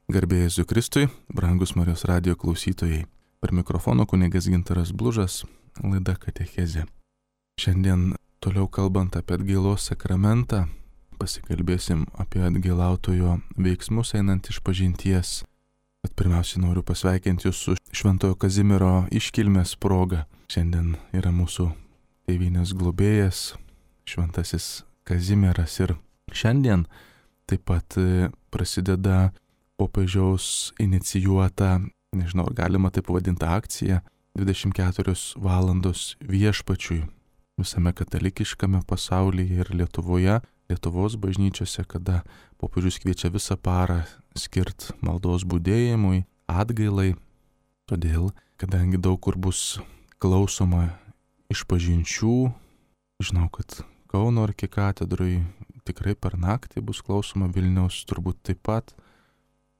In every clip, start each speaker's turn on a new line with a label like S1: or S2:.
S1: Garbė Jėzui Kristui, brangus Marijos radijo klausytojai. Per mikrofono kunigas Gintaras Blužas, laida Katechezė. Šiandien toliau kalbant apie atgailos sakramentą, pasikalbėsim apie atgailautojo veiksmus einant išpažinties. Bet pirmiausia noriu pasveikinti jūs su Šventojo Kazimiero iškilmės proga. Šiandien yra mūsų tėvynės globėjas, Šventasis Kazimieras, ir šiandien taip pat prasideda popiežiaus inicijuota, nežinau, ar galima taip pavadinti, akcija 24 valandos viešpačiui visame katalikiškame pasaulyje ir Lietuvoje, Lietuvos bažnyčiose, kada popiežius kviečia visą parą skirt maldos budėjimui, atgailai. Todėl, kadangi daug kur bus klausoma išpažinčių, žinau, kad Kauno arkikatedroj tikrai per naktį bus klausoma, Vilniaus turbūt taip pat.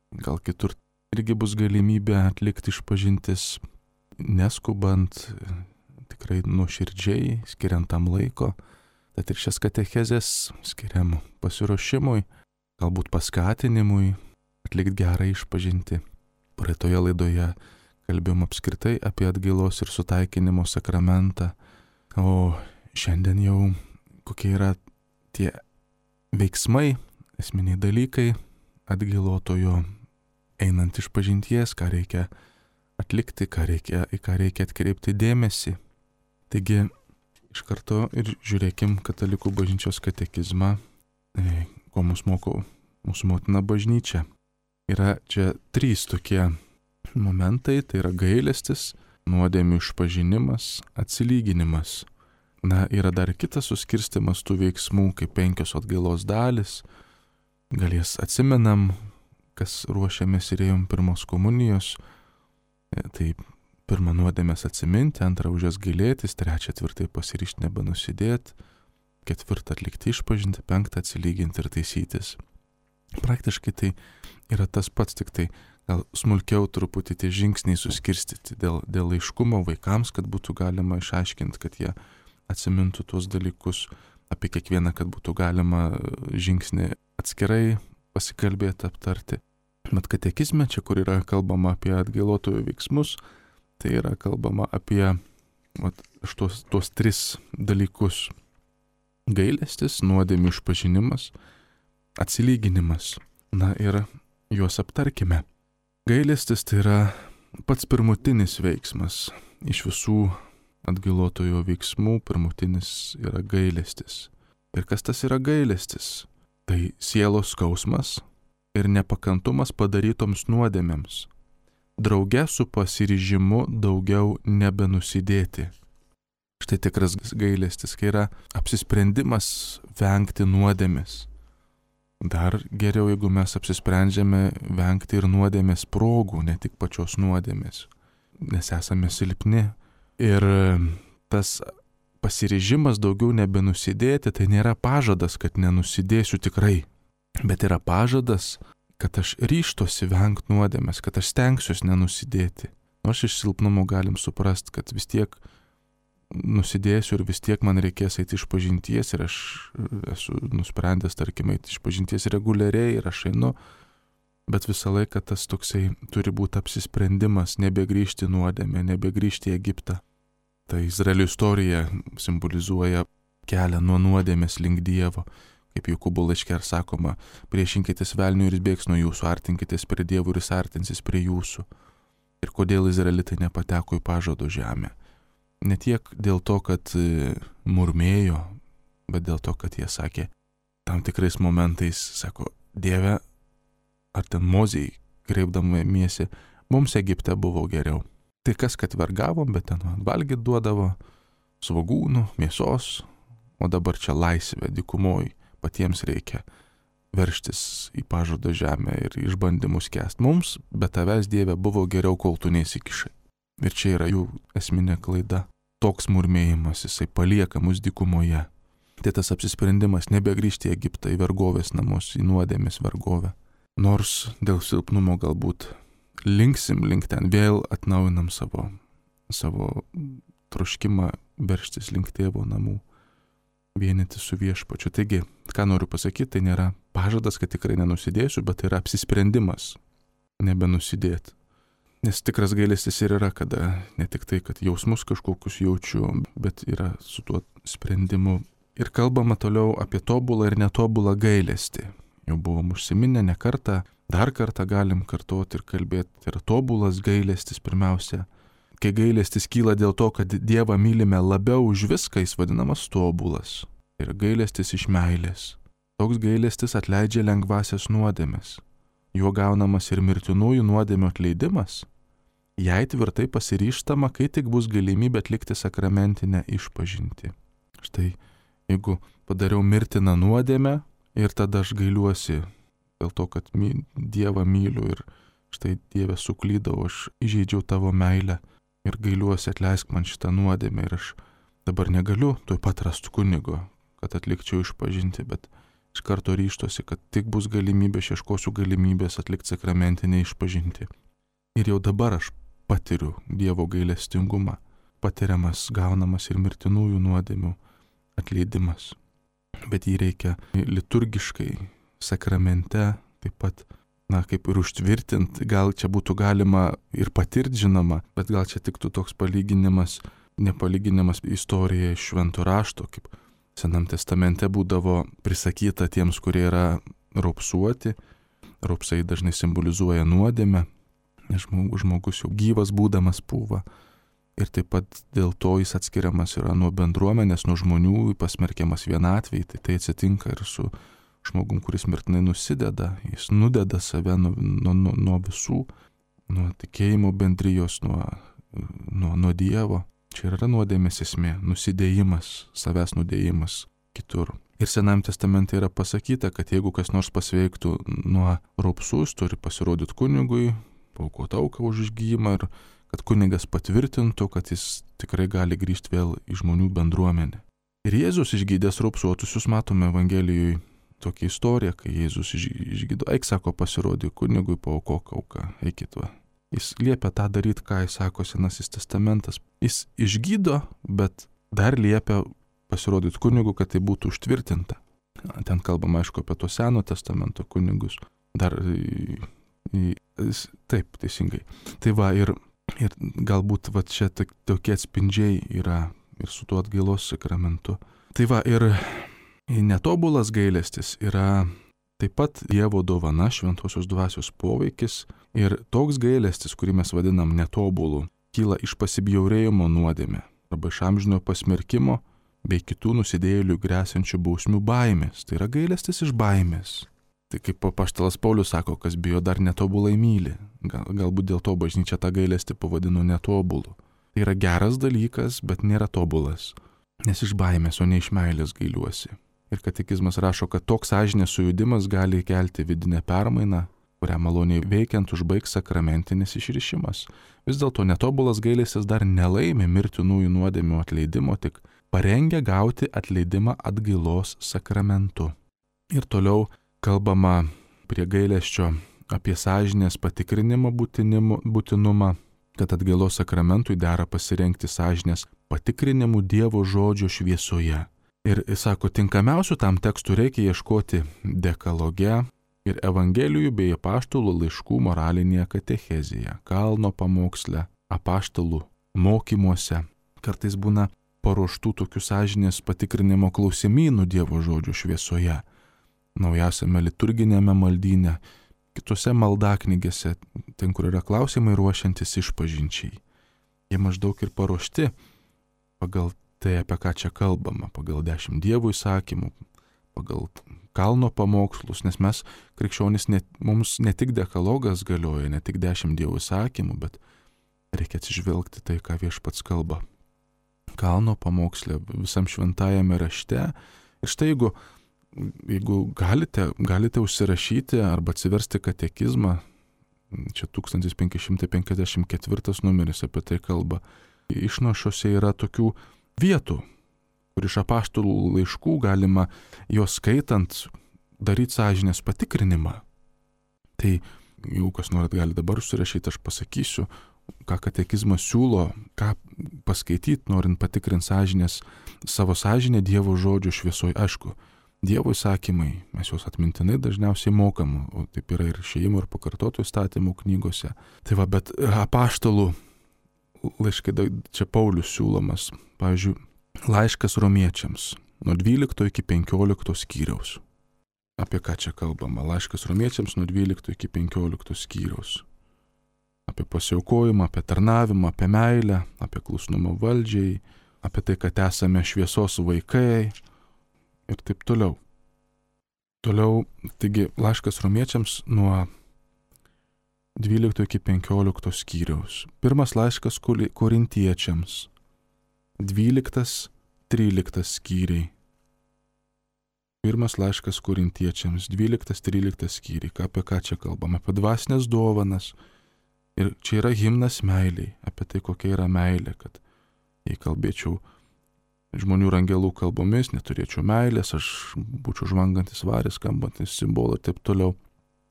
S1: Gal kitur irgi bus galimybė atlikti išpažintis, neskubant, tikrai nuoširdžiai, skiriant tam laiko. Tad ir šias katechezės skiriam pasiruošimui, galbūt paskatinimui, atlikti gerą išpažinti. Praeitoje laidoje kalbėjom apskritai apie atgailos ir sutaikinimo sakramentą, o šiandien jau kokie yra tie veiksmai, esminiai dalykai atgailotojo einant išpažinties, ką reikia atlikti, į ką reikia atkreipti dėmesį. Taigi, iš karto ir žiūrėkim katalikų bažnyčios katekizmą, ko mus moko mūsų motina bažnyčia. Yra čia 3 tokie momentai, tai yra gailestis, nuodėmių išpažinimas, atsilyginimas. Na, yra dar kitas suskirstimas tų veiksmų, kaip 5 atgailos dalis. Gal jas atsimenam, kas ruošiamės ir ėjom pirmos komunijos. Tai pirmą nuodėmės atsiminti, antrą už jas gailėtis, 3 tvirtai pasiryžti nebenusidėti, 4 atlikti išpažinti, 5 atsilyginti ir taisytis. Praktiškai tai yra tas pats, tik tai gal smulkiau truputį tie žingsniai suskirstyti dėl aiškumo vaikams, kad būtų galima išaiškinti, kad jie atsimintų tuos dalykus, apie kiekvieną, kad būtų galima žingsnį atskirai pasikalbėti, aptarti. Bet katekizme, čia kur yra kalbama apie atgailotojų veiksmus, tai yra kalbama apie tuos 3 dalykus. Gailestis, nuodėmių išpažinimas, atsilyginimas. Na ir juos aptarkime. Gailestis tai yra pats pirmutinis veiksmas. Iš visų atgailotojo veiksmų pirmutinis yra gailestis. Ir kas tas yra gailestis? Tai sielos skausmas ir nepakantumas padarytoms nuodėmėms, drauge su pasiryžimu daugiau nebenusidėti. Štai tikras gailestis, kai yra apsisprendimas vengti nuodėmės. Dar geriau, jeigu mes apsisprendžiame vengti ir nuodėmės progų, ne tik pačios nuodėmės, nes esame silpni. Ir tas pasiryžimas daugiau nebenusidėti, tai nėra pažadas, kad nenusidėsiu tikrai, bet yra pažadas, kad aš ryžtosi vengti nuodėmės, kad aš stengsiuosi nenusidėti. Nors iš silpnumo galim suprasti, kad vis tiek nusidėsiu ir vis tiek man reikės eiti išpažinties ir aš esu nusprendęs, tarkim, eiti išpažinties reguliariai ir aš einu, bet visą laiką tas toksai turi būti apsisprendimas nebegrįžti nuodėmę, nebegrįžti į Egiptą. Tai Izraelio istorija simbolizuoja kelią nuo nuodėmės link Dievo. Kaip Jokūbo laiške ir sakoma, priešinkitės velniui ir jis bėgs nuo jūsų, artinkitės prie Dievo ir jis artinsis prie jūsų. Ir kodėl izraelitai nepateko į pažado žemę? Ne tiek dėl to, kad murmėjo, bet dėl to, kad jie sakė tam tikrais momentais, sako, Dieve, ar ten Mozei, kreipdamiesi, mums Egipte buvo geriau. Tai kas, kad vergavom, bet ten valgyt duodavo svogūnų, mėsos, o dabar čia laisvė, dykumoj, patiems reikia verštis į pažado žemę ir išbandymus kęsti. Mums, be tavęs, Dieve, buvo geriau, kol tu neįsikišai. Ir čia yra jų esminė klaida. Toks murmėjimas, jisai palieka mus dykumoje. Tai tas apsisprendimas nebegrįžti į Egiptą, į vergovės namus, į nuodėmės vergovę. Nors dėl silpnumo galbūt linksim link ten, vėl atnaujinam savo troškimą verštis link tėvo namų, vienyti su viešpačiu. Taigi, ką noriu pasakyti, tai nėra pažadas, kad tikrai nenusidėsiu, bet tai yra apsisprendimas nebenusidėti. Nes tikras gailestis ir yra, kada ne tik tai, kad jausmus kažkokius jaučiu, bet yra su tuo sprendimu. Ir kalbama toliau apie tobulą ir netobulą gailestį. Jau buvom užsiminę ne kartą, dar kartą galim kartuoti ir kalbėti. Tai yra tobulas gailestis pirmiausia. Kai gailestis kyla dėl to, kad Dievą mylime labiau už viską, jis vadinamas tobulas. Tai yra gailestis iš meilės. Toks gailestis atleidžia lengvasias nuodėmes. Juo gaunamas ir mirtinųjų nuodėmių atleidimas. Jei tvirtai pasiryžtama, kai tik bus galimybė atlikti sakramentinę išpažintį. Štai, jeigu padariau mirtiną nuodėmę ir tada aš gailiuosi dėl to, kad Dievą myliu ir štai Dieve suklydau, aš įžeidžiau tavo meilę ir gailiuosi, atleisk man šitą nuodėmę ir aš dabar negaliu tuoj pat rasti kunigo, kad atlikčiau išpažinti, bet iš karto ryštosi, kad tik bus galimybė, aš ieškosiu galimybės atlikti sakramentinę išpažinti. Ir jau dabar aš patiriu Dievo gailestingumą, patiriamas, gaunamas ir mirtinųjų nuodėmių atleidimas. Bet jį reikia liturgiškai, sakramente, taip pat, kaip ir užtvirtinti, gal čia būtų galima ir patirti, žinoma, bet gal čia tiktų toks palyginimas, nepalyginimas istorija iš Švento rašto, kaip Senam testamente būdavo prisakyta tiems, kurie yra raupsuoti. Raupsai dažnai simbolizuoja nuodėmę, nes žmogus jau gyvas būdamas pūva. Ir taip pat dėl to jis atskiriamas yra nuo bendruomenės, nuo žmonių, pasmerkiamas vienatvei. Tai atsitinka ir su žmogum, kuris mirtinai nusideda. Jis nudeda save nuo visų, nuo tikėjimo bendrijos, nuo Dievo. Čia yra nuodėmės esmė, nusidėjimas, savęs nudėjimas kitur. Ir Senam testamente yra pasakyta, kad jeigu kas nors pasveiktų nuo raupsų, jis turi pasirodyti kunigui, paaukoti auką už išgijimą ir kad kunigas patvirtintų, kad jis tikrai gali grįžti vėl į žmonių bendruomenę. Ir Jėzus išgydęs raupsuotusius, matome Evangelijoje tokią istoriją, kai Jėzus išgydo, eik, sako, pasirodyk kunigui, paaukok auką, eikit va. Jis liepia tą daryti, ką jis sako Senasis testamentas. Jis išgydo, bet dar liepia pasirodyti kunigu, kad tai būtų užtvirtinta. Ten kalbama, aišku, apie to Seno testamento kunigus. Dar, taip, teisingai. Tai va, ir galbūt va čia tokie atspindžiai yra ir su tuo atgailos sakramentu. Tai va, ir netobulas gailestis yra taip pat Dievo dovana, šventosios dvasios poveikis ir toks gailestis, kurį mes vadinam netobulu, kyla iš pasibjaurėjimo nuodėmė arba iš amžino pasmerkimo bei kitų nusidėjėlių gresiančių bausmių baimės. Tai yra gailestis iš baimės. Tai kaip apaštalas Paulius sako, kas bijo dar netobulai myli. Galbūt dėl to bažnyčia tą gailestį pavadino netobulu. Tai yra geras dalykas, bet nėra tobulas, nes iš baimės, o ne iš meilės gailiuosi. Ir katekizmas rašo, kad toks sąžinės sujudimas gali kelti vidinę permainą, kurią maloniai veikiant užbaigs sakramentinis išrišimas. Vis dėlto netobulas gailestis dar nelaimi mirtinųjų nuodėmių atleidimo, tik parengia gauti atleidimą atgailos sakramentu. Ir toliau kalbama prie gailesčio apie sąžinės patikrinimo būtinumą, kad atgailos sakramentui dera pasirengti sąžinės patikrinimu Dievo žodžio šviesoje. Ir sako, tinkamiausių tam tekstų reikia ieškoti dekaloge ir evangelijų bei apaštalų laiškų moralinėje katechezėje, kalno pamoksle, apaštalų mokymuose. Kartais būna paruoštų tokių sąžinės patikrinimo klausimynų Dievo žodžio šviesoje, naujausiame liturginėme maldyne, kitose maldaknygėse, ten, kur yra klausimai ruošiantis išpažinčiai. Jie maždaug ir paruošti pagal tai, apie ką čia kalbama, pagal 10 Dievo įsakymų, pagal kalno pamokslus, nes mes, krikščionys, mums ne tik dekalogas galioja, ne tik 10 Dievo įsakymų, bet reikia atsižvelgti tai, ką Viešpats kalba. Kalno pamokslė, visam šventajame rašte. Ir štai, jeigu galite užsirašyti arba atsiversti katekizmą, čia 1554 numeris apie tai kalba, išnašose yra tokių vietų, kur iš apaštalų laiškų galima juos skaitant daryti sąžinės patikrinimą. Tai jeigu kas norit, gali dabar užsirašyti, aš pasakysiu, ką katekizmas siūlo, ką paskaityti, norint patikrinti sąžinės, savo sąžinę Dievo žodžio šviesoje. Aišku, Dievo įsakymai, mes juos atmintinai dažniausiai mokam, o taip yra ir išėjimo ir pakartotų įstatymų knygose. Tai va, bet apaštalų laiškai, čia Paulius siūlomas, pavyzdžiui, laiškas romiečiams nuo 12 iki 15 skyriaus. Apie ką čia kalbama? Laiškas romiečiams nuo 12 iki 15 skyriaus. Apie pasiaukojimą, apie tarnavimą, apie meilę, apie klusnumą valdžiai, apie tai, kad esame šviesos vaikai ir taip toliau. Toliau, taigi, laiškas romiečiams nuo 12 iki 15 skyriaus. Pirmas laiškas korintiečiams 12-13 skyriai. Pirmas laiškas korintiečiams 12-13 skyriai. Apie ką čia kalbam? Apie dvasinės dovanas. Ir čia yra himnas meiliai, apie tai, kokia yra meilė, kad jei kalbėčiau žmonių ir angelų kalbomis, neturėčiau meilės, aš būčiau žvangantis varis, skambantis simbolai ir taip toliau.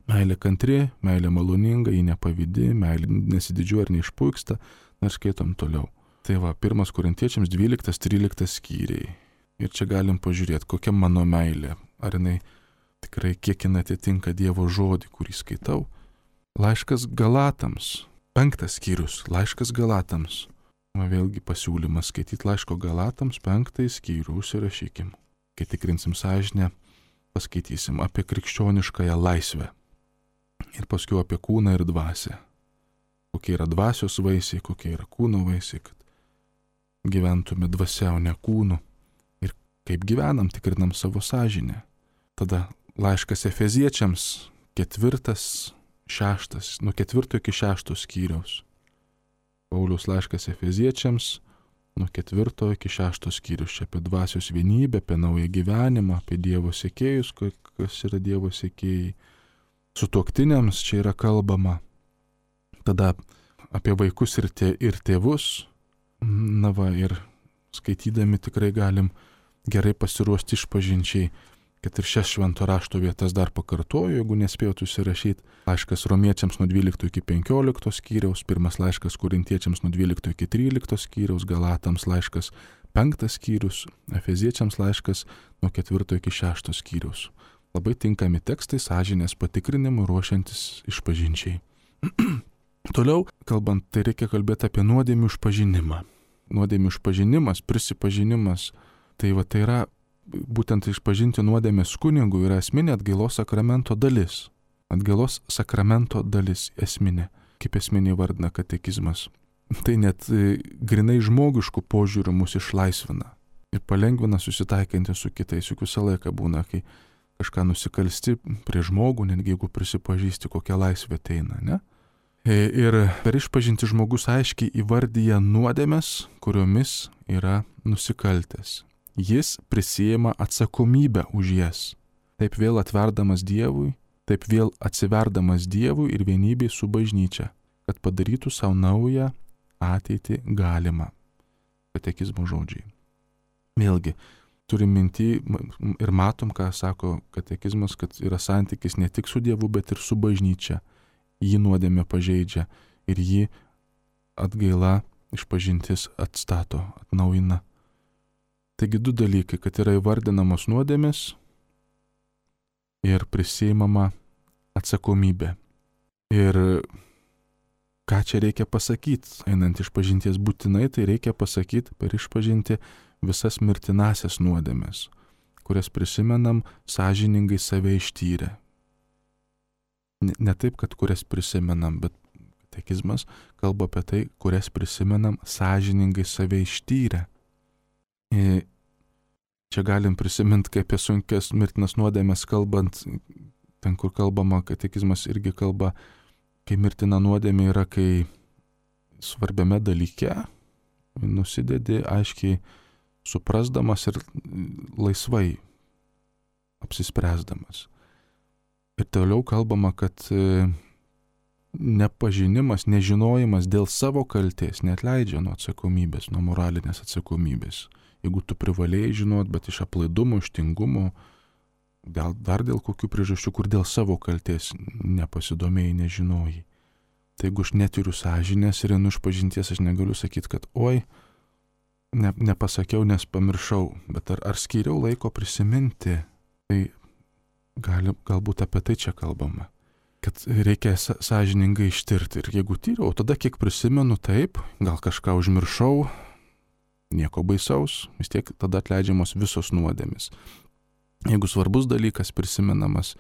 S1: Meilė kantri, meilė maloninga, ji nepavydi, meilė nesididžiuoja ir neišpuiksta, ir skaitom toliau. Tai va, pirmas korintiečiams 12-13 skyriai. Ir čia galim pažiūrėti, kokia mano meilė, ar jinai tikrai kiek jinai atitinka Dievo žodį, kurį skaitau. Laiškas Galatams, 5 skyrius, laiškas Galatams. Vėlgi pasiūlymas skaityti laiško Galatams 5 skyrių, užsirašykim. Kai tikrinsim sąžinę, paskaitysim apie krikščioniškąją laisvę. Ir paskui apie kūną ir dvasią. Kokie yra dvasios vaisiai, kokie yra kūno vaisiai, kad gyventume dvasia, o ne kūnu. Ir kaip gyvenam, tikrinam savo sąžinę. Tada laiškas Efeziečiams 4-6, nuo 4 iki 6 skyriaus. Pauliaus laiškas Efeziečiams nuo 4 iki 6 skyrius. Čia apie dvasios vienybę, apie naują gyvenimą, apie Dievo sekėjus, kas yra Dievo sekėjai. Sutuoktiniams čia yra kalbama. Tada apie vaikus ir tėvus. Na va, ir skaitydami tikrai galim gerai pasiruošti išpažinčiai. Kad ir šias švento rašto vietas dar pakartoju, jeigu nespėjot užsirašyti. Laiškas romiečiams nuo 12 iki 15 skyriaus, pirmas laiškas korintiečiams nuo 12 iki 13 skyriaus, Galatams laiškas 5 skyrius, Efeziečiams laiškas nuo 4 iki 6 skyriaus. Labai tinkami tekstai sąžinės patikrinimui ruošiantis išpažinčiai. Toliau, kalbant, tai reikia kalbėti apie nuodėmių išpažinimą. Nuodėmių išpažinimas, prisipažinimas, tai va tai yra būtent išpažinti nuodėmės kunigui yra esminė atgailos sakramento dalis. Atgailos sakramento dalis esminė, kaip esminė vardina katekizmas. Tai net grinai žmogiškų požiūrių mus išlaisvina ir palengvina susitaikinti su kitais. Juk visą laiką būna, kai kažką nusikalsti prie žmogų, netgi jeigu prisipažįsti, kokia laisvė ateina, ne? Ir per išpažinti žmogus aiškiai įvardyja nuodėmes, kuriomis yra nusikaltęs. Jis prisiima atsakomybę už jas, taip vėl atverdamas Dievui, taip vėl atsiverdamas Dievui ir vienybei su bažnyčia, kad padarytų savo naują ateitį galimą. Katekizmo žodžiai. Vėlgi, turim minty ir matom, ką sako katekizmas, kad yra santykis ne tik su Dievu, bet ir su bažnyčia. Jį nuodėmė pažeidžia ir jį atgaila išpažintis atstato, atnaujina. Taigi du dalykai, kad yra įvardinamos nuodėmės ir prisiimama atsakomybė. Ir ką čia reikia pasakyti, einant išpažinties būtinai, tai reikia pasakyti per išpažinti visas mirtinasias nuodėmės, kurias prisimenam sąžiningai save ištyrę. Ne taip, kad kurias prisimenam, bet katekizmas kalba apie tai, kurias prisimenam sąžiningai save ištyrę. Čia galim prisiminti, kaip apie sunkias mirtinas nuodėmės kalbant, ten kur kalbama, katekizmas irgi kalba, kai mirtina nuodėmė yra, kai svarbiame dalyke nusidedi aiškiai suprasdamas ir laisvai apsispręsdamas. Ir toliau kalbama, kad nepažinimas, nežinojimas dėl savo kaltės neatleidžia nuo atsakomybės, nuo moralinės atsakomybės. Jeigu tu privalėjai žinot, bet iš aplaidumo, iš tingumo, dar dėl kokių priežasčių, kur dėl savo kaltės nepasidomėjai, nežinojai. Tai jeigu aš neturiu sąžinės ir einu išpažinties, aš negaliu sakyti, kad oi, nepasakiau, nes pamiršau, bet ar skyriau laiko prisiminti Tai galbūt apie tai čia kalbama. Kad reikia sąžiningai ištirti. Ir jeigu tyriau, tada kiek prisimenu, taip, gal kažką užmiršau, nieko baisaus, vis tiek tada atleidžiamos visos nuodėmės. Jeigu svarbus dalykas prisimenamas,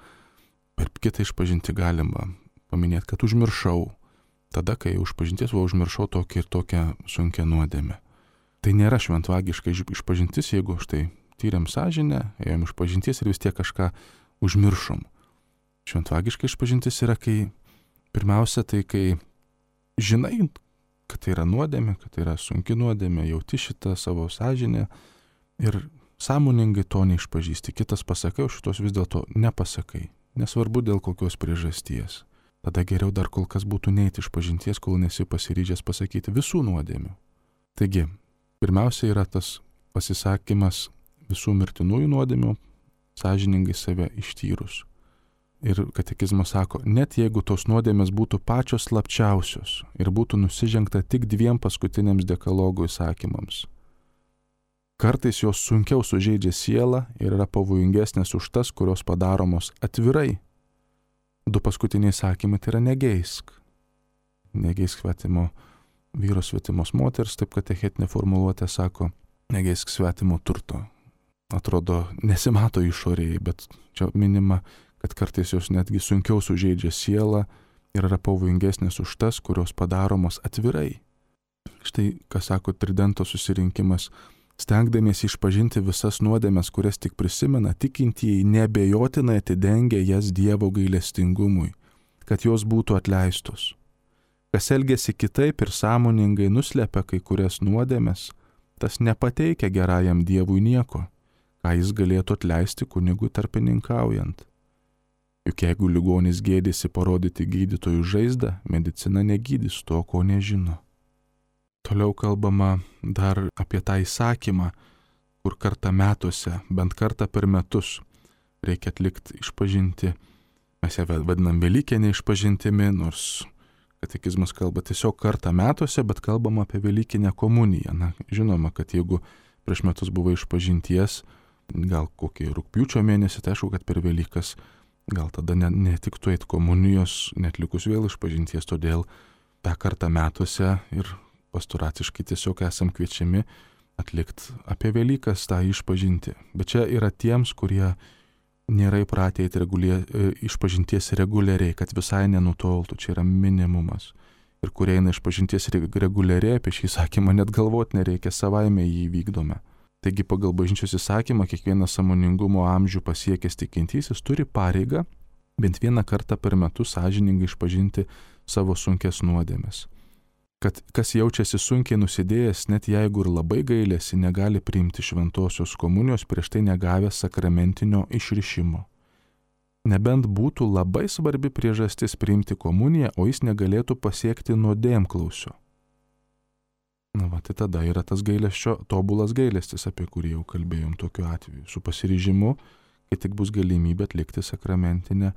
S1: per kitą išpažinti galima paminėti, kad užmiršau, tada, kai išpažinties užmiršau tokią ir tokią sunkią nuodėmę. Tai nėra šventvagiška išpažintis, jeigu štai tyrėm sąžinę, ėjom išpažinties ir vis tiek kažką užmiršom. Šventvagiška išpažintis yra, kai pirmiausia, tai kai žinai, kad tai yra nuodėmė, kad tai yra sunki nuodėmė, jauti šitą savo sąžinę ir sąmoningai to neišpažįsti. Kitas pasakai, o šitos vis dėlto nepasakai. Nesvarbu dėl kokios priežasties. Tada geriau dar kol kas būtų neiti išpažinties, kol nesi pasiryžęs pasakyti visų nuodėmių. Taigi, pirmiausia yra tas pasisakymas visų mirtinųjų nuodėmių, sąžiningai save ištyrus. Ir katekizmas sako, net jeigu tos nuodėmės būtų pačios slapčiausios ir būtų nusižengta tik 2 paskutiniams dekalogo įsakymams, kartais jos sunkiau sužeidžia sielą ir yra pavojingesnės už tas, kurios padaromos atvirai. 2 paskutiniai įsakymai tai yra negeisk. Negeisk svetimo vyro, svetimos moters, taip katechetinė formuluotė sako, negeisk svetimo turto. Atrodo, nesimato išorėje, bet čia minima, kad kartais jos netgi sunkiau sužeidžia sielą ir yra pavojingesnės už tas, kurios padaromos atvirai. Štai, ką sako Tridento susirinkimas, stengdamiesi išpažinti visas nuodėmes, kurias tik prisimena, tikintieji neabejotinai atidengia jas Dievo gailestingumui, kad jos būtų atleistos. Kas elgiasi kitaip ir sąmoningai nuslepia kai kurias nuodėmes, tas nepateikia gerajam Dievui nieko, ką jis galėtų atleisti kunigui tarpininkaujant. Juk jeigu ligonis gėdėsi parodyti gydytojų žaizdą, medicina negydys to, ko nežino. Toliau kalbama dar apie tą įsakymą, kur kartą metuose, bent kartą per metus reikia atlikti išpažinti. Mes ją vadinam Velykinė išpažintimi, nors katekizmas kalba tiesiog kartą metuose, bet kalbama apie Velykinę komuniją. Na, žinoma, kad jeigu prieš metus buvo išpažinties, gal kokį rugpjūčio mėnesį, tai aišku, kad per Velykas gal tada netiktų eit komunijos, netlikus vėl išpažinties, todėl tą kartą metuose ir pastoraciškai tiesiog esam kviečiami atlikti apie Velykas tą išpažinti. Bet čia yra tiems, kurie nėra įpratę eiti išpažinties reguliariai, kad visai nenutoltų, čia yra minimumas. Ir kurie eina išpažinties reguliariai, apie šį įsakymą net galvoti nereikia, savaime jį vykdome. Taigi pagal bažnyčios įsakymą kiekvienas sąmoningumo amžių pasiekęs tikintysis turi pareigą bent 1 kartą per metus sąžiningai išpažinti savo sunkes nuodėmes. Kad kas jaučiasi sunkiai nusidėjęs, net jeigu ir labai gailėsi, negali priimti šventosios komunijos prieš tai negavęs sakramentinio išrišimo. Nebent būtų labai svarbi priežastis priimti komuniją, o jis negalėtų pasiekti nuodėmklausio. Na va, tai tada yra tas gailesčio, tobulas gailestis, apie kurį jau kalbėjom tokiu atveju, su pasiryžimu, kai tik bus galimybė atlikti sakramentinę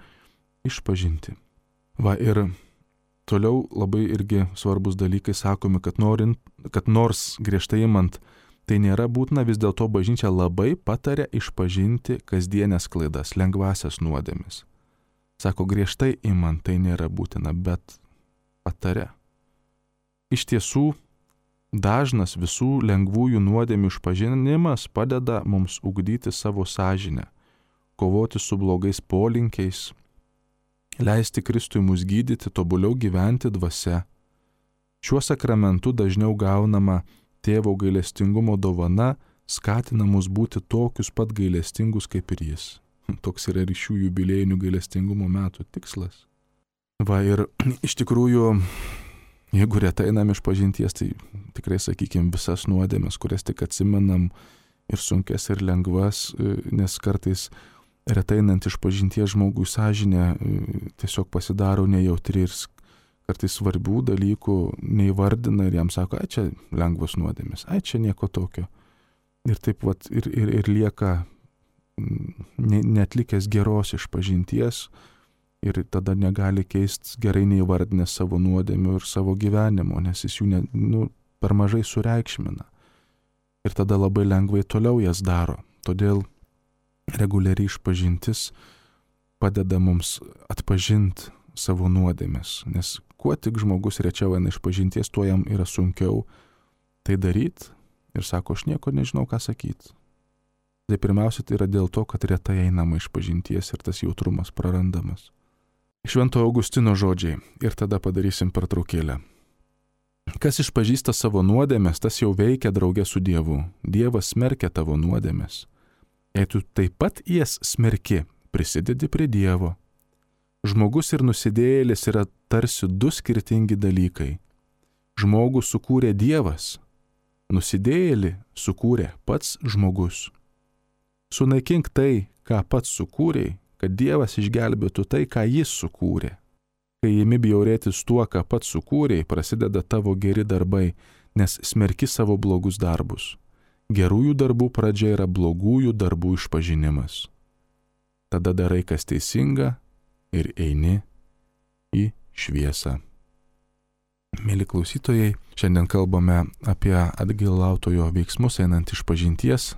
S1: išpažinti. Va, ir toliau labai irgi svarbus dalykai sakomi, kad nors griežtai imant tai nėra būtina, vis dėlto bažnyčia labai pataria išpažinti kasdienės klaidas, lengvasias nuodėmes. Sako, griežtai imant tai nėra būtina, bet pataria. Iš tiesų, dažnas visų lengvųjų nuodėmių išpažinimas padeda mums ugdyti savo sąžinę, kovoti su blogais polinkiais, leisti Kristui mus gydyti, tobuliau gyventi dvasia. Šiuo sakramentu dažniau gaunama tėvo gailestingumo dovana, skatina mus būti tokius pat gailestingus kaip ir jis. Toks yra ir šių jubiliejinių gailestingumo metų tikslas. Va, ir iš tikrųjų, jeigu retai einam išpažinties, tai tikrai, sakykime, visas nuodėmes, kurias tik atsimenam, ir sunkes, ir lengvas, nes kartais retai einant išpažinties žmogui sąžinė tiesiog pasidaro nejautri ir kartais svarbių dalykų neįvardina ir jam sako, ai čia lengvos nuodėmės, ai čia nieko tokio. Ir taip vat ir lieka neatlikęs geros išpažinties, ir tada negali keistis gerai neįvardinęs savo nuodėmių ir savo gyvenimo, nes jis jų per mažai sureikšmina. Ir tada labai lengvai toliau jas daro. Todėl reguliariai išpažintis padeda mums atpažinti savo nuodėmes, nes kuo tik žmogus rečiau eina išpažinties, tuo jam yra sunkiau tai daryti ir sako, aš nieko nežinau, ką sakyti. Tai pirmiausia, tai yra dėl to, kad retai einama išpažinties ir tas jautrumas prarandamas. Švento Augustino žodžiai ir tada padarysim pertraukėlę. Kas išpažįsta savo nuodėmes, tas jau veikia drauge su Dievu. Dievas smerkia tavo nuodėmes. Jei tu taip pat jas smerki, prisidedi prie Dievo. Žmogus ir nusidėjėlis yra tarsi du skirtingi dalykai. Žmogų sukūrė Dievas, nusidėjėlį sukūrė pats žmogus. Sunaikink tai, ką pats sukūrėjai, kad Dievas išgelbėtų tai, ką jis sukūrė. Kai imi bjaurėtis tuo, ką pats sukūrėjai, prasideda tavo geri darbai, nes smerki savo blogus darbus. Gerųjų darbų pradžia yra blogųjų darbų išpažinimas. Tada darai, kas teisinga ir eini į šviesą. Mėly klausytojai, šiandien kalbame apie atgailautojo veiksmus einant išpažinties.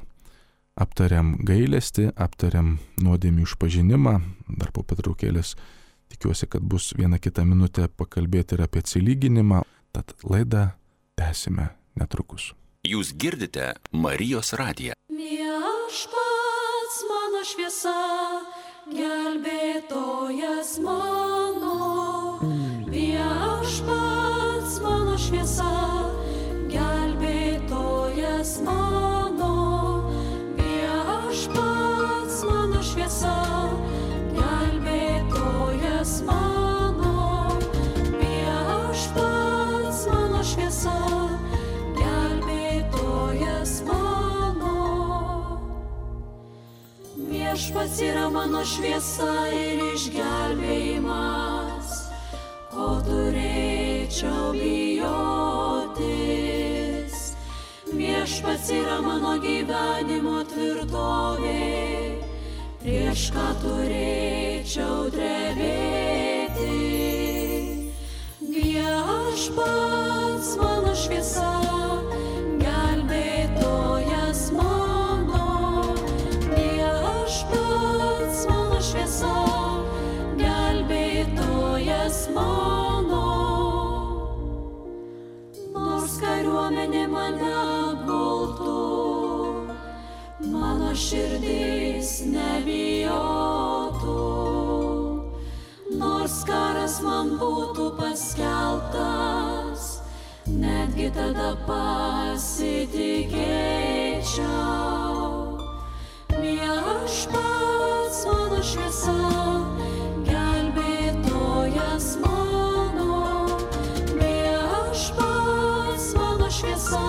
S1: Aptariam gailestį, aptariam nuodėmių išpažinimą, dar po pertraukėlės tikiuosi, kad bus viena kita minutė pakalbėti ir apie atsilyginimą, tad laidą tęsime netrukus.
S2: Jūs girdite Marijos radiją.
S3: Viešpats mano šviesa, gelbėtojas mano. Viešpats mano šviesa, gelbėtojas mano. Viešpats mano šviesa, gelbėtojas mano. Viešpats mano šviesa, gelbėtojas mano. Viešpats yra mano šviesa ir išgelbėjimas, ko turėčiau bijotis. Viešpats yra mano gyvenimo tvirtovė, prieš ką turėčiau drebėti. Viešpats mano šviesa, gelbėtojas mano. Viešpats mano šviesa, gelbėtojas mano. Nors kariuomenė mane apgultų, mano širdis nebijotų. Nors karas man būtų paskelbtas, netgi tada pasitikėčiau. Viešpats mano šviesa, gelbėtojas mano. Viešpats mano šviesa,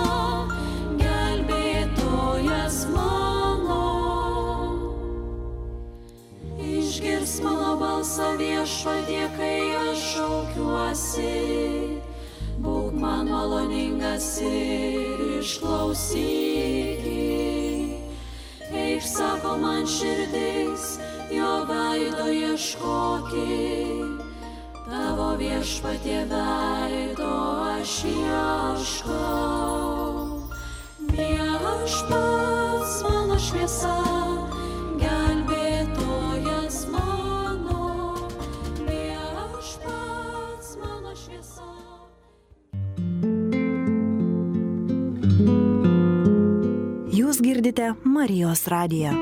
S3: gelbėtojas mano. Išgirs mano balsą Viešpatie, kai aš šaukiuosi. Būk man maloningas ir išklausyk. Išsako man širdis, jo veido ieškokit. Tavo Viešpatie veido aš ieškau. Viešpats mano šviesa, gelbėtojas mano. Viešpats mano šviesa.
S4: Jūs girdite Marijos radiją.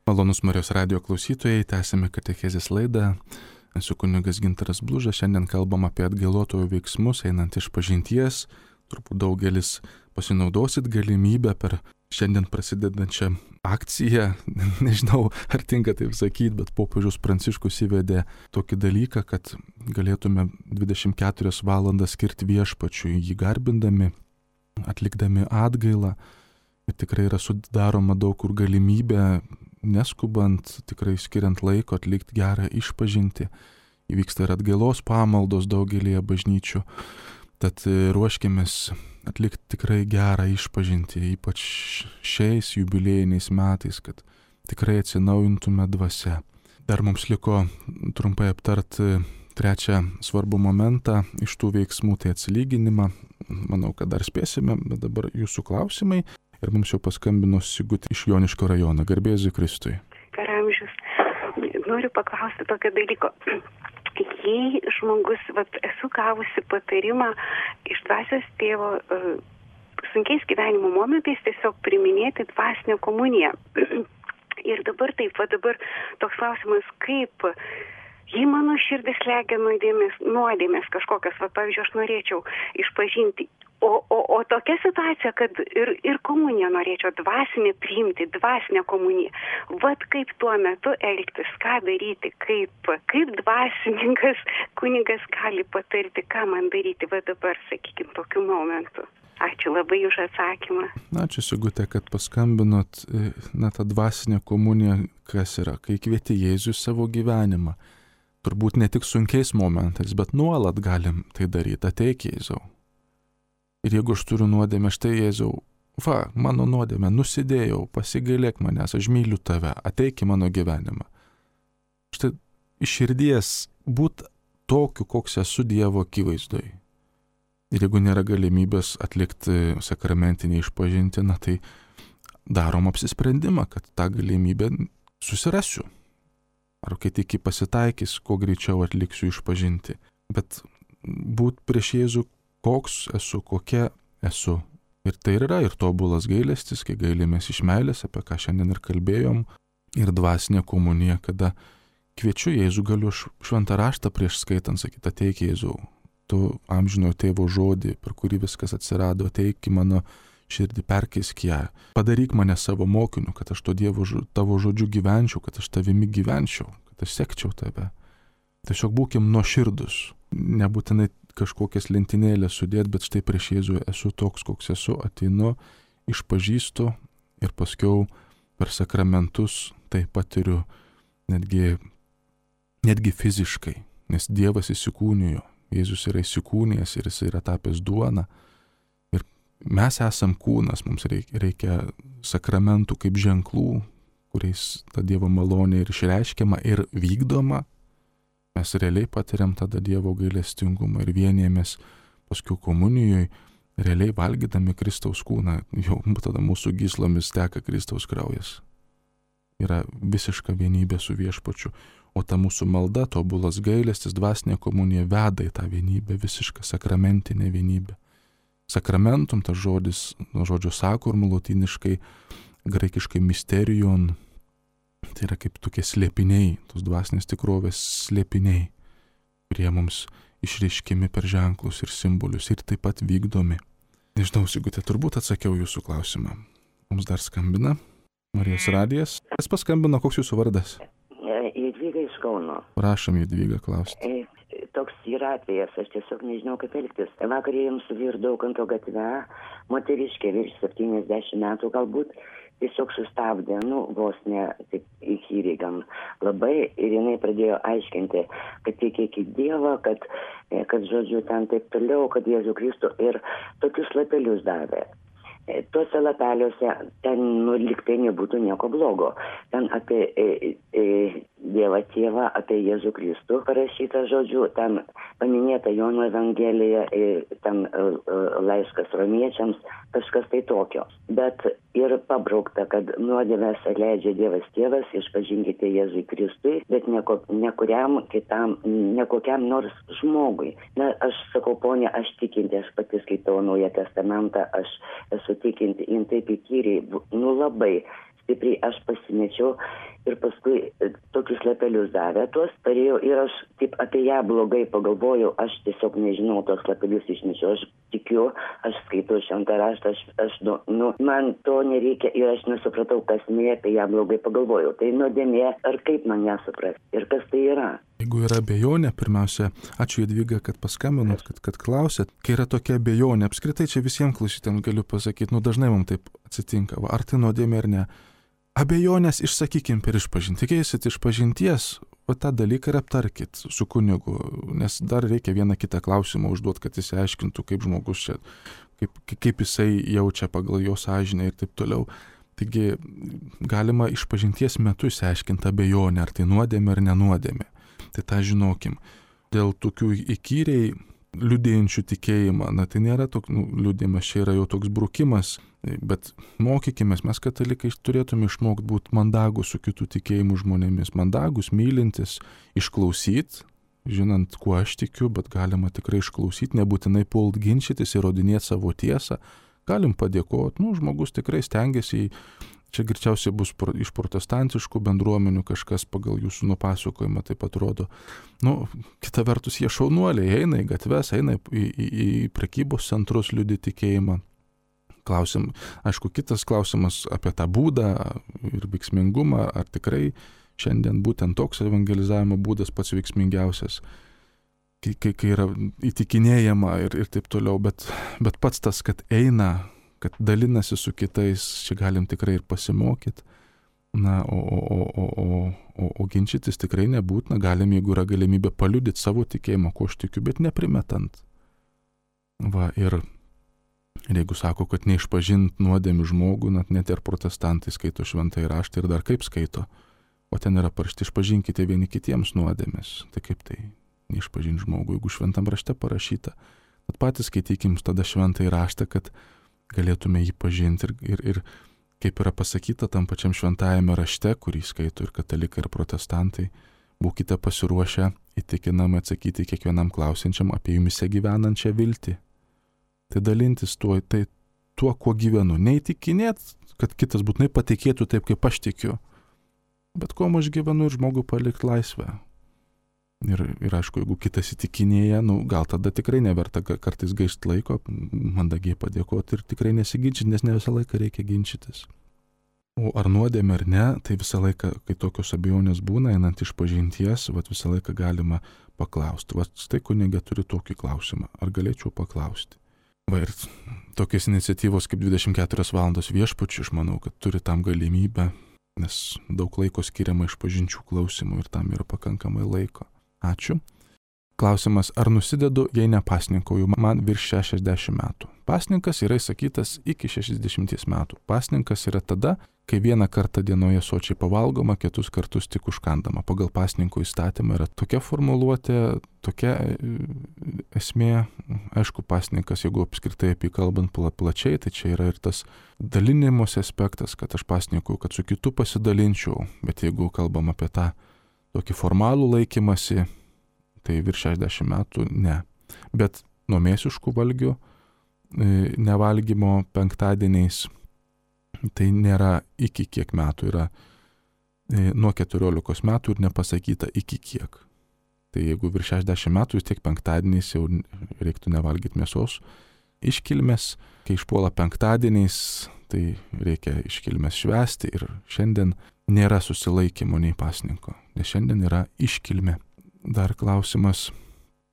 S1: Malonus Marijos radijo klausytojai, tęsime katechezės laidą. Esu kunigas Gintaras Blužas, šiandien kalbam apie atgailotojo veiksmus einant išpažinties. Turbūt daugelis pasinaudosit galimybę per šiandien prasidedančią akciją. Nežinau, ar tinka taip sakyti, bet popiežius Pranciškus įvedė tokį dalyką, kad galėtume 24 valandas skirti Viešpačiui, jį garbindami, atlikdami atgailą. Ir tikrai yra sudaroma daug kur galimybė, neskubant, tikrai skiriant laiko atlikti gerą išpažintį. Įvyksta ir atgailos pamaldos daugelėje bažnyčių. Tad ruoškimės atlikti tikrai gerą išpažintį, ypač šiais jubiliejiniais metais, kad tikrai atsinaujintume dvasia. Dar mums liko trumpai aptarti trečią svarbų momentą iš tų veiksmų, tai atsilyginimą. Manau, kad dar spėsime, bet dabar jūsų klausimai. Ir mums jau paskambino Sigutė iš Joniškio rajono. Garbė Jėzui Kristui.
S5: Karamžius, noriu paklausti tokio dalyko. Jei žmogus, esu gavusi patarimą iš dvasios tėvo sunkiais gyvenimo momentais tiesiog priminėti dvasinę komuniją. Ir dabar dabar toks klausimas, kaip, jei mano širdis slegia nuodėmės kažkokias, pavyzdžiui, aš norėčiau išpažinti, o tokia situacija, kad ir komuniją norėčiau dvasinę priimti, dvasinę komuniją. Kaip tuo metu elgtis, ką daryti, kaip dvasininkas, kunigas gali patarti, ką man daryti, dabar, sakykime, tokiu momentu. Ačiū labai už atsakymą.
S1: Ačiū, Sigutė, kad paskambinot. Ta dvasinė komunija, kas yra, kai kvieti Jėzų į savo gyvenimą. Turbūt ne tik sunkiais momentais, bet nuolat galim tai daryti. Ateik, Jėzau. Ir jeigu aš turiu nuodėmę, štai Jėzau, mano nuodėmę, nusidėjau, pasigailėk manęs, aš myliu tave, ateik į mano gyvenimą. Štai iš širdies būt tokiu, koks esu Dievo akivaizdoj. Ir jeigu nėra galimybės atlikti sakramentinį išpažinti, tai darom apsisprendimą, kad tą galimybę susirasiu. Ar kai tik pasitaikys, kuo greičiau atliksiu išpažinti. Bet būt prieš Jėzų, koks esu, kokia esu. Ir tai yra ir tobulas gailestis, kai gailimės iš meilės, apie ką šiandien ir kalbėjom, ir dvasinė komunija, kada kviečiu Jėzų, galiu šventą raštą prieš skaitant sakyti, ateik Jėzau. Tu amžino tėvo žodį, per kurį viskas atsirado, ateik į mano širdį, perkeisk ją. Padaryk mane savo mokiniu, kad aš tavo žodžiu gyvenčiau, kad aš tavimi gyvenčiau, kad aš sekčiau tave. Tiesiog būkim nuoširdus. Nebūtinai kažkokias lentynėlės sudėt, bet štai prieš Jėzų esu toks, koks esu, ateinu, išpažįstu ir paskiau per sakramentus tai patiriu netgi fiziškai, nes Dievas įsikūnijo. Jėzus yra įsikūnijęs ir jis yra tapęs duona. Ir mes esam kūnas, mums reikia sakramentų kaip ženklų, kuriais ta Dievo malonė ir išreiškiama ir vykdoma. Mes realiai patiriam tada Dievo gailestingumą ir vienijamės paskui komunijoje, realiai valgydami Kristaus kūną, jau tada mūsų gyslomis teka Kristaus kraujas. Yra visiška vienybė su Viešpačiu. O ta mūsų malda, tobulas gailestis, dvasinė komunija veda į tą vienybę, visišką sakramentinę vienybę. Sakramentum, tas žodis, nuo žodžio sakurm, lotyniškai, graikiškai mysterion, tai yra kaip tokie slėpiniai, tos dvasinės tikrovės slėpiniai, kurie mums išreiškiami per ženklus ir simbolius ir taip pat vykdomi. Nežinau, Sigutė, turbūt atsakiau jūsų klausimą. Mums dar skambina Marijos radijas. Kas paskambino, koks jūsų vardas?
S6: Jadvyga iš Kauno.
S1: Prašom, Jadvyga, klausti.
S6: Toks yra atvejas, aš tiesiog nežinau, kaip elgtis. Vakar ėjom su vyru Daukanto gatve, moteriškė virš 70 metų galbūt, tiesiog sustabdė, vos ne taip įkyriai gan labai, ir jinai pradėjo aiškinti, kad tikėk į Dievą, kad žodžiu ten taip toliau, kad Jėzų Kristų, ir tokius lapelius davė. Tuose lapeliuose ten lyg tai nebūtų nieko blogo. Ten apie Dievą Tėvą, apie Jėzų Kristų parašyta žodžiu, ten paminėta Jono Evangelija, ten laiškas romiečiams, kažkas tai tokio. Bet ir pabraukta, kad nuodėmes atleidžia Dievas Tėvas, išpažinkite Jėzui Kristui, bet ne kuriam kitam, ne kokiam nors žmogui. Aš sakau, ponė, aš tikinti, aš pati skaitau Naują Testamentą, aš esu tikinti, jin taip įkyriai, labai stipriai aš pasimečiau ir paskui tokius lapelius davė tuos, parėjau ir aš taip apie ją blogai pagalvojau, aš tiesiog nežinau, tos lapelius išnešiau, aš tikiu, aš skaitau šventą raštą, man to nereikia ir aš nesupratau, kas apie ją blogai pagalvojau. Tai nuodėmė, ar kaip man ją suprasti ir kas tai yra?
S1: Jeigu yra abejonė, pirmiausia, ačiū Jadvyga, kad paskambinot, kad klausėt. Kai yra tokia abejonė, apskritai čia visiems klausytėms galiu pasakyti, dažnai mums taip atsitinka, ar tai nuodėmė ar ne. Abejonės išsakykim per išpažintį. Tikėsit išpažinties, tą dalyką ir aptarkit su kunigu, nes dar reikia vieną kitą klausimą užduoti, kad jis aiškintų, kaip žmogus čia, kaip jisai jaučia pagal jo sąžinę ir taip toliau. Taigi galima išpažinties metu išsiaiškinti abejonę, ar tai nuodėmė ar nenuodėmė. Tai tą žinokim. Dėl tokių įkyriai liudėjančių tikėjimą, tai nėra toks liudėjimas, čia yra jau toks brukimas, bet mokykime, mes katalikai turėtume išmokti būti mandagus su kitų tikėjimų žmonėmis, mandagus, mylintis, išklausyti, žinant, kuo aš tikiu, bet galima tikrai išklausyti, nebūtinai pult ginčytis, įrodinėti savo tiesą, galim padėkoti, žmogus tikrai stengiasi, čia greičiausiai bus iš protestantiškų bendruomenių kažkas pagal jūsų nupasakojimą taip atrodo. Kita vertus, jie šaunuoliai, eina į gatves, eina į prekybos centrus liudyti tikėjimą. Aišku, kitas klausimas apie tą būdą ir veiksmingumą, ar tikrai šiandien būtent toks evangelizavimo būdas pats veiksmingiausias, kai yra įtikinėjama ir taip toliau, bet pats tas, kad eina, kad dalinasi su kitais, čia galim tikrai ir pasimokyti, o ginčytis tikrai nebūtina, galim, jeigu yra galimybė paliudyti savo tikėjimą, ko aš tikiu, bet neprimetant. Ir jeigu sako, kad neišpažint nuodėmių žmogų, net ir protestantai skaito šventąjį raštą ir dar kaip skaito, o ten yra parašyti, išpažinkite vieni kitiems nuodėmes, tai kaip tai neišpažint žmogų, jeigu šventam rašte parašyta. Tad patys skaitykim tada šventąjį raštą, kad galėtume jį pažinti ir kaip yra pasakyta tam pačiam šventajame rašte, kurį skaito ir katalikai, ir protestantai, būkite pasiruošę įtikinamai atsakyti kiekvienam klausiančiam apie jumise gyvenančią viltį. Tai dalintis tuo, kuo gyvenu. Neįtikinėt, kad kitas būtinai patikėtų taip, kaip aš tikiu, bet kuo aš gyvenu ir žmogų palikti laisvę. Ir aišku, jeigu kitas įtikinėja, gal tada tikrai neverta kartais gaišti laiko, mandagiai padėkoti ir tikrai nesiginčyti, nes ne visą laiką reikia ginčytis. O ar nuodėmė ar ne, tai visą laiką, kai tokios abejonės būna, einant išpažinties, visą laiką galima paklausti. Štai kunigė turi tokį klausimą, ar galėčiau paklausti. Ir tokios iniciatyvos kaip 24 valandos viešpačiui, aš manau, kad turi tam galimybę, nes daug laiko skiriama išpažinčių klausimų ir tam yra pakankamai laiko. Ačiū. Klausimas, ar nusidedu, jei nepasninkauju, man virš 60 metų. Pasninkas yra įsakytas iki 60 metų. Pasninkas yra tada, kai vieną kartą dienoje sočiai pavalgoma, kitus kartus tik užkandama. Pagal pasninko įstatymą yra tokia formuluotė, tokia esmė. Aišku, pasninkas, jeigu apskritai apie kalbant plačiai, tai čia yra ir tas dalinimosi aspektas, kad aš pasninkauju, kad su kitu pasidalinčiau. Bet jeigu kalbam apie tą tokį formalų laikymasi, tai virš 60 metų ne. Bet nuo mėsiškų valgių, nevalgymo penktadieniais, tai nėra iki kiek metų, yra nuo 14 metų ir nepasakyta iki kiek. Tai jeigu virš 60 metų, vis tiek penktadieniais jau reiktų nevalgyti mėsos iškilmės. Kai išpuola penktadieniais, tai reikia iškilmės švęsti ir šiandien nėra susilaikymo nei pasninko, nes šiandien yra iškilmė. Dar klausimas.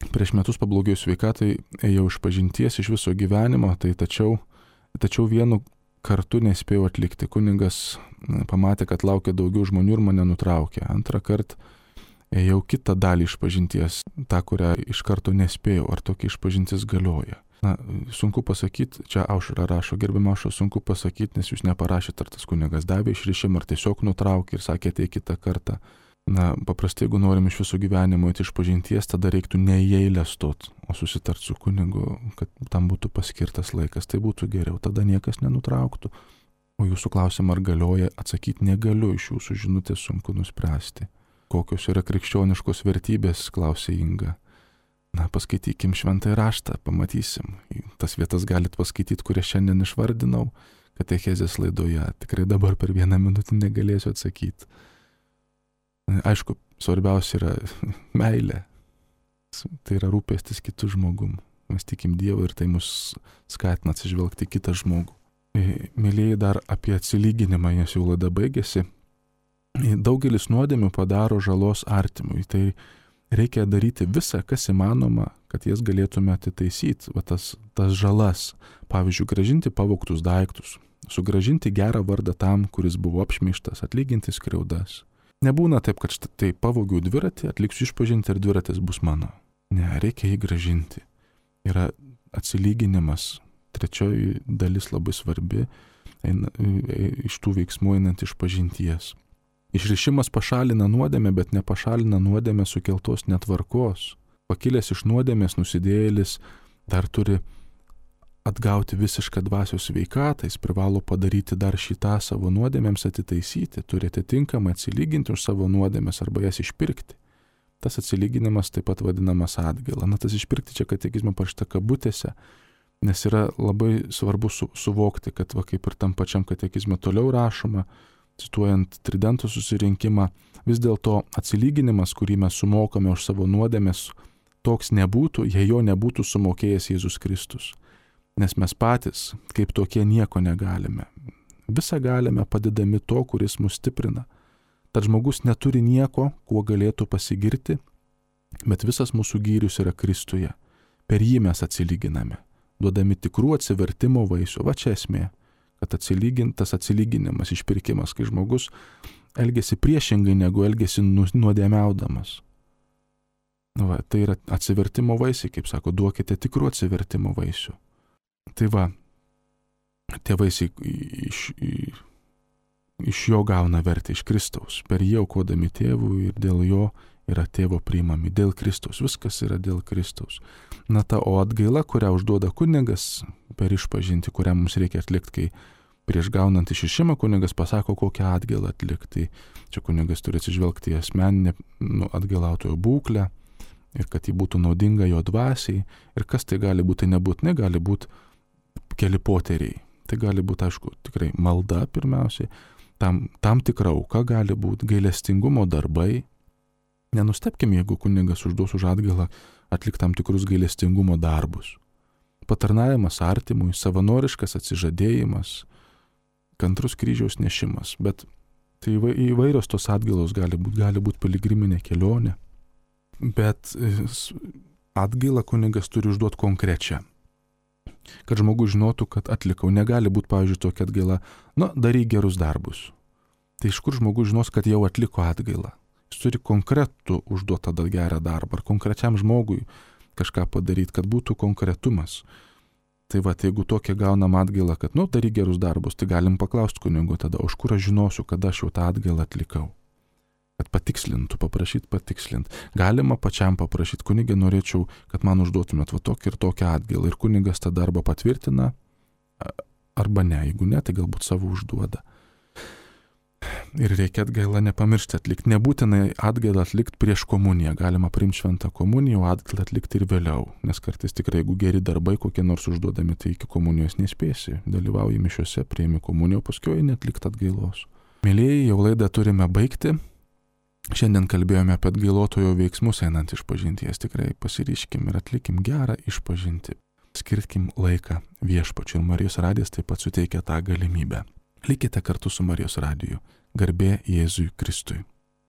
S1: Prieš metus pablogėjus sveikatai, ėjau išpažinties iš viso gyvenimo, tai tačiau vienu kartu nespėjau atlikti. Kunigas pamatė, kad laukia daugiau žmonių ir mane nutraukė. Antrą kartą ėjau kitą dalį išpažinties, tą, kurią iš karto nespėjau. Ar tokia išpažintis galioja? Sunku pasakyti, čia Aušra rašo, gerbiama Aušra, sunku pasakyti, nes jūs neparašėte, ar tas kunigas davė išrišimą, ar tiesiog nutraukė ir sakė, tai kitą kartą. Paprastai, jeigu norim iš viso gyvenimo įti išpažinties, tada reiktų ne į eilę stot, o susitart su kunigu, kad tam būtų paskirtas laikas, tai būtų geriau, tada niekas nenutrauktų. O jūsų klausimą, ar galioja, atsakyti negaliu, iš jūsų žinutės sunku nuspręsti. Kokios yra krikščioniškos vertybės, klausė Inga. Paskaitykim šventąjį raštą, pamatysim. Tas vietas galit paskaityti, kurias šiandien išvardinau, katechezės laidoje. Tikrai dabar per 1 minutę negalėsiu atsakyti. Aišku, svarbiausia yra meilė. Tai yra rūpestis kitų žmogum. Mes tikim Dievą ir tai mus skatina atsižvelgti kitą žmogų. Mėlyjei, dar apie atsilyginimą, nes jau laida baigėsi. Daugelis nuodėmių padaro žalos artimui. Tai reikia daryti visą, kas įmanoma, kad jas galėtume atitaisyti. Tas žalas, pavyzdžiui, gražinti pavogtus daiktus, sugražinti gerą vardą tam, kuris buvo apšmeižtas, atlyginti skriaudas. Nebūna taip, kad štai pavogiau dviratį, atliksiu išpažinti ir dviratis bus mano. Ne, reikia jį gražinti. Yra atsilyginimas. Trečioji dalis labai svarbi. iš tų veiksmų einant iš pažinties. Išrišimas pašalina nuodėmę, bet nepašalina nuodėmę sukeltos netvarkos. Pakilęs iš nuodėmės nusidėjėlis dar turi atgauti visišką dvasios sveikatą, jis privalo padaryti dar šitą savo nuodėmėms atitaisyti, turi atitinkamai atsilyginti už savo nuodėmės arba jas išpirkti. Tas atsilyginimas taip pat vadinamas atgaila. Tas išpirkti čia katekizme parašyta kabutėse, nes yra labai svarbu suvokti, kad kaip ir tam pačiam katekizme toliau rašoma, cituojant Tridento susirinkimą, vis dėlto atsilyginimas, kurį mes sumokame už savo nuodėmės, toks nebūtų, jei jo nebūtų sumokėjęs Jėzus Kristus. Nes mes patys, kaip tokie, nieko negalime. Visą galime padedami to, kuris mus stiprina. Tad žmogus neturi nieko, kuo galėtų pasigirti, bet visas mūsų gyrius yra Kristuje. Per jį mes atsilyginame, duodami tikrų atsivertimo vaisių. Va čia esmė, kad tas atsilyginimas, išpirkimas, kai žmogus elgesi priešingai, negu elgesi nuodėmiaudamas. Tai yra atsivertimo vaisiai, kaip sako, duokite tikrų atsivertimo vaisių. Tai va, tie vaisiai iš jo gauna vertę, iš Kristaus. Per jį aukodami tėvui ir dėl jo yra tėvo priimami. Dėl Kristaus. Viskas yra dėl Kristaus. O atgaila, kurią užduoda kunigas per išpažintį, kurią mums reikia atlikti, kai prieš gaunant išrišimą kunigas pasako, kokią atgailą atlikti. Čia kunigas turi atsižvelgti į asmeninę atgailautojo būklę ir kad ji būtų naudinga jo dvasiai. Ir kas tai gali būti, nebūtinai gali būti keli poteriai. Tai gali būti, aišku, tikrai malda pirmiausiai, tam tikra auka gali būti, gailestingumo darbai. Nenustebkim, jeigu kunigas užduos už atgailą atlikti tam tikrus gailestingumo darbus. Patarnavimas artimui, savanoriškas atsižadėjimas, kantrus kryžiaus nešimas. Bet tai įvairios tos atgailos gali būti piligriminė kelionė. Bet atgailą kunigas turi užduoti konkrečią. Kad žmogus žinotų, kad atlikau. Negali būti, pavyzdžiui, tokia atgaila, daryk gerus darbus. Tai iš kur žmogus žinos, kad jau atliko atgailą? Jis turi konkretų užduotą gerą darbą, ar konkrečiam žmogui kažką padaryti, kad būtų konkretumas. Tai jeigu tokia gaunam atgailą, kad, daryk gerus darbus, tai galim paklausti kunigo tada, už kur aš žinosiu, kad aš jau tą atgailą atlikau. Kad patikslintų, paprašyti patikslinti. Galima pačiam paprašyti, kunigė, norėčiau, kad man užduotumėt tokį ir tokią atgailą. Ir kunigas tą darbą patvirtina, arba ne. Jeigu ne, tai galbūt savo užduoda. Ir reikia atgailą nepamiršti atlikti. Nebūtinai atgailą atlikti prieš komuniją. Galima priimti šventą komuniją, o atgailą atlikti ir vėliau. Nes kartais tikrai, jeigu geri darbai kokie nors užduodami, tai iki komunijos nespėsi. Dalyvauji mišiuose, priimi komuniją, paskui neatlikti atgailos. Mėlieji, jau laidą turime baigti. Šiandien kalbėjome apie atgailotojo veiksmus einant išpažinties. Tikrai pasiryškim ir atlikim gerą išpažintį. Skirkim laiką Viešpačiui, ir Marijos radijas taip pat suteikia tą galimybę. Likite kartu su Marijos radiju. Garbė Jėzui Kristui.